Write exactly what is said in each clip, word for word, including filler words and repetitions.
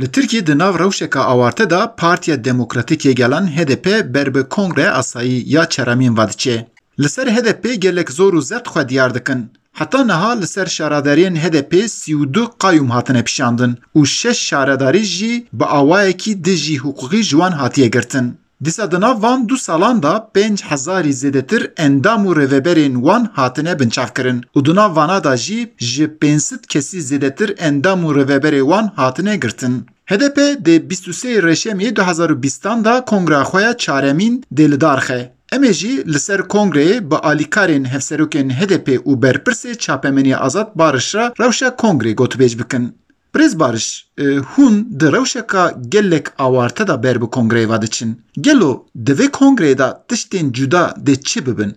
Li Tirkiyê di nav rewşeke awarte de Partiya Demokratîk yê Gelan, H D P, ber bi Kongreya Asayî ya Çeremîn ve diçe. Li ser H D P gelek zor û zext xwe diyar dikin. Heta niha li ser şaredariyên H D P sî û du qayûm hatine pişandin û şeş şaredarî jî bi awayekî dijî hiqûqî ji wan hatiye girtin. Dîsa di nav van du salan de pênc hezarî zêdetir endam û rêveberên wan hatine binçavkirin û di nav vana de jî ji pênc sed kesî zêdetir endam û rêveberê wan hatine girtin. H D P dê bîst û sê Reşemê du hezar û bîstan de kongra xwe ya çaremîn dê li dar xe. Em ê jî li ser kongreyê bi alîkarên hevserokên H D P û berpirsê çapemeniya Azad Bariş re rewşa kongrê gotûbêj bikin. Birêz Bariş, e, hûn di rewşeka gelek awarte de ber bi kongreyê ve diçin. Gelo di vê kongreyê de tiştên cuda dê çi bibin?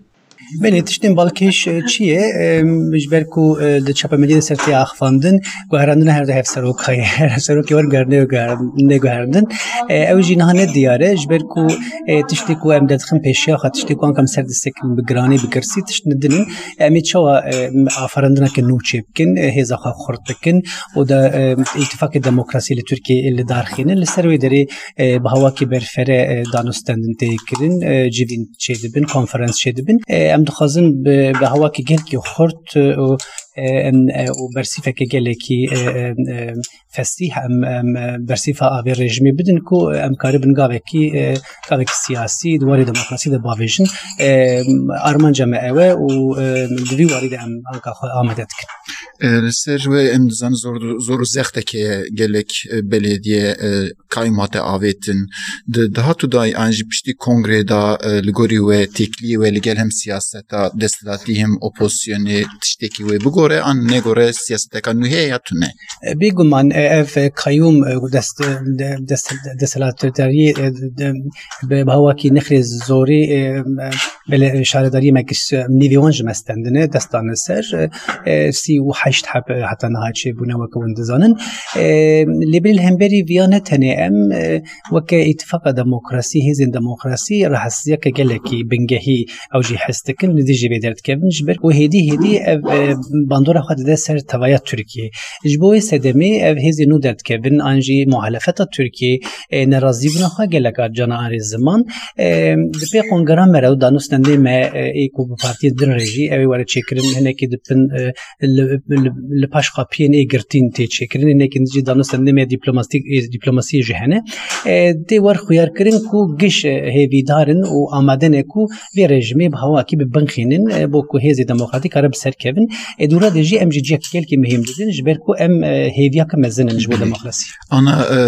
Belê, tiştên balkêş, e, çi ye? E, ji ber ku, e, di çapemeniya de ser tê axivandin, guherandina her du hevserok heye. Her hevserokê wan guher-, neyê guher-, neyê guherandin. E, ew jî niha ne diyar e, ji ber ku, e, tiştê ku em derdixin pêşiya xwe, tiştê ku anka em ser disekin bi giranî, bi girsî, tişt ne din in. Em ê çawa, e, aferandineke nû çêbikin, e, hêza xwe xurt bikin û da, e, îtîfaqê demokrasiyê li Tirkiyeyê li dar xînin. Li ser wê derê, e, bi hawakî berfere, e, danûstendin tê kirin, e, civîn çêdibin, konferans çêdibin. E, em dixwazin bi, bi hawakî gelkî xurt, e, û, e, em, e, û bersîfeke gelekî, e, e, e, fesîh, em, em, e, bersîfa avê rejîmê bidin ku em karibin gavekî, e, gavekî siyasî di warê demokrasî de bavêjin. E, armanca me ew e û, e, di vî warî de em anka xwe amade dikin. E, li ser wê em dizanin zor, zor û zexteke gelek, e, belediye, e, qayûm hate avêtin. Di dahat û dayî an jî piştî kongrê de, e, li gorî we têkiliyê we li gel hem siyaseta desthilatî hem opozisyonê tiştekî wê bigore an negore siyaseteka nû heye ya tune? E, bêguman, e, ev, e, qayûm, e, dest, e, de-, dest, desthilatdariyê, e, de-, bi, bi hawakî nexrê zorî, e, e, belê, e, şaredariyê me giş, e, nîvê wan ji me stendine, dest dane ser, e, e, sî û heşt heb, e, heta niha çêbûne weke hûn dizanin. E, lê belê li hemberî viya ne tenê em, e, weke îtifaqa demokrasî, hêzên demokrasî, rahatsiziyeke gelekî bingehî ew jî his dikin, li dijî vê derdikevin, ji ber ku hêdî hêdî ev, e, bandora xwe dide ser tevaya Tirkiyê. Ji bo wê sedemê ev hêzên nû derdikevin, an jî muhalefeta Tirkiyê, e, nerazîbûna xwe gelek a cana arê ziman. E, di pê qongera me re û danûstendê me, e, ê ku bi partiyên din re jî ew ê were çêkirin, hinekî di bin, e, li, li, li paş qapiyên ê girtîn tê çêkirin, hinekî din jî danûstendê me dîplomasî, e, dîplomasiyê jî hene. E, tê wer xuyarkirin ku giş, e, hêvîdar in û amade ne ku vê rejîmê bi hawakî bi bin xînin, e, bo ku hêzê demokratîk kare bi ser kevin. E, dûra de jî em jî cihek gelkî muhîm didin, ji ber ku em, e, hêviyeke mezin in ji bo demokrasî. Ana, e,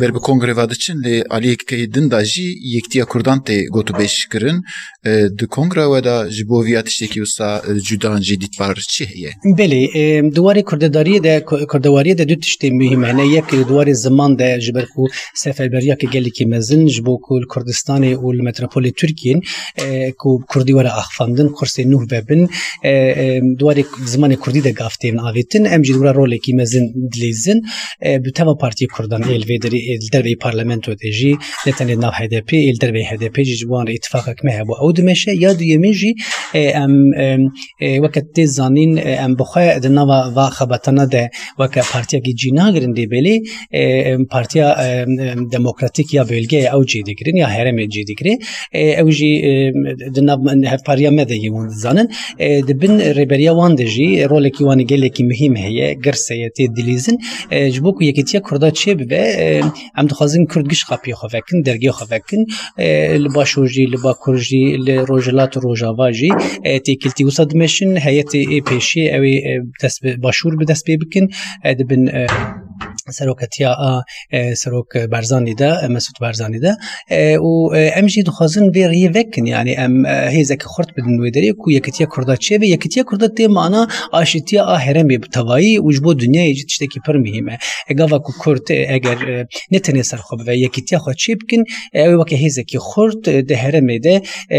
ber bi kongrê ve diçin, lê aliyekî din de jî yektiya Kurdan tê gotûbêj kirin. E, di kongra we de ji bo viya tiştekî wisa, e, cudan jî dîtbar çi heye? Belê, e, di warê kurdedariyê de, ku-, kurdewariyê de du tiştê muhîm hene. Yek di warê ziman de, ji ber ku seferberiyeke gelekî mezin ji bo ku li Kurdistanê û li metropolê Tirkiyên, e, ku kurdî were axifandin, kursê nû vebin, e, e, di warê zimanê kurdî de gav têvin avêtin. Em jî di wira rolekî mezin dilîzin. E, bi teva partiyê kurdan ê li vê derê, ê li derveyî parlamento de jî, ne tenê nav H D P, ê li derveyî H D P jî ji wan re îtifaqek me hebû. Ew dimeşe. Ya duyemîn jî, e, em, em, e, weke tê zanîn, e, em bi xwe di nava va xebatana de weke partiyekî cî nagirin dê belê, e, em, partiya, em, em, demokratîk ya bölgeyê ew cî digirin ya herêmê cî digire. E, ew jî, e, di nav hevpariya me de yê hûn dizanin. E, di bin rêberiya wan de jî rolekî wan gelekî muhîm heye, girs heye, tê dilîzin. E, ji bo ku yekîtiya Kurda çêbibe, e, em dixwazin Kurd giş qapiyê xwe vekin, dergehê xwe vekin. E, li Başûr jî, li Bakur jî, li Rojhilat û Rojava jî, e, têkiltî wisa dimeşin, heyetê ê pêşiyê ew ê, e, dest bi Başûr bi dest pê bikin. E, di bin, e, seroketiya a, e, Serok Barzanî de, e, Mesûd Barzanî de. E, û, e, em jî dixwazin vê rêyê vekin, yanî em, e, hêzeke xurt bidin wê derê ku yekitiya Kurda çêbe, yekitiya Kurda tê mana aşîtiya a herêmê bi tevayî û ji bo dinyayê jî tiştekî pir muhîm e. E, gava ku Kurd, e, eger, e, ne tenê ser xwe bive, yekitiya xwe çê bikin, e, ew ê weke hêzekî xurt, e, di herêmê de, e,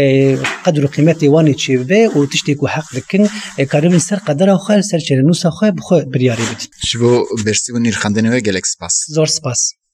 qedr û qîmetê wan ê çê bibe û tiştê ku heq dikin, e, karibin ser qedera xwe, li ser çerenûsa xwe bi xwe biryarê bidin. Ji bo bersîv û nirxandinê we gelek spas. Zor spas.